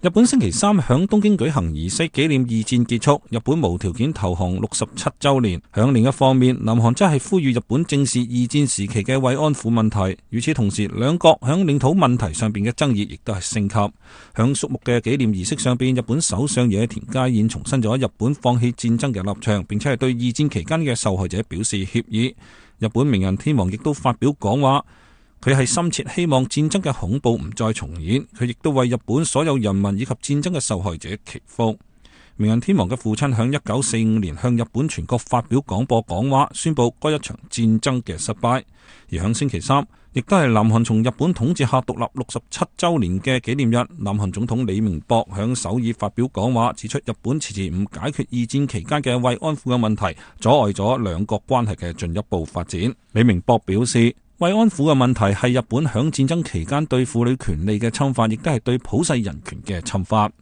日本星期三響東京舉行儀式紀念二戰結束，日本無條件投降67週年。響另一方面，南韓則係呼籲日本正視二戰時期嘅慰安婦問題。與此同時，兩國響領土問題上邊嘅爭議亦都係升級。響肅穆嘅紀念儀式上邊，日本首相野田佳彥重申咗日本放棄戰爭嘅立場，並且係對二戰期間嘅受害者表示歉意。日本明仁天皇亦都發表講話，佢係深切希望戰爭嘅恐怖唔再重演，佢亦都為日本所有人民以及戰爭嘅受害者祈福。明仁天皇嘅父親響1945年向日本全國發表廣播講話，宣布該一場戰爭嘅失敗。而響星期三，亦都係南韓從日本統治下獨立67週年嘅紀念日，南韓總統李明博響首爾發表講話，指出日本遲遲唔解決二戰期間嘅慰安婦嘅問題，阻礙咗兩國關係嘅進一步發展。李明博表示，慰安婦嘅問題係日本響戰爭期間對婦女權利嘅侵犯，亦都係對普世人權嘅侵犯。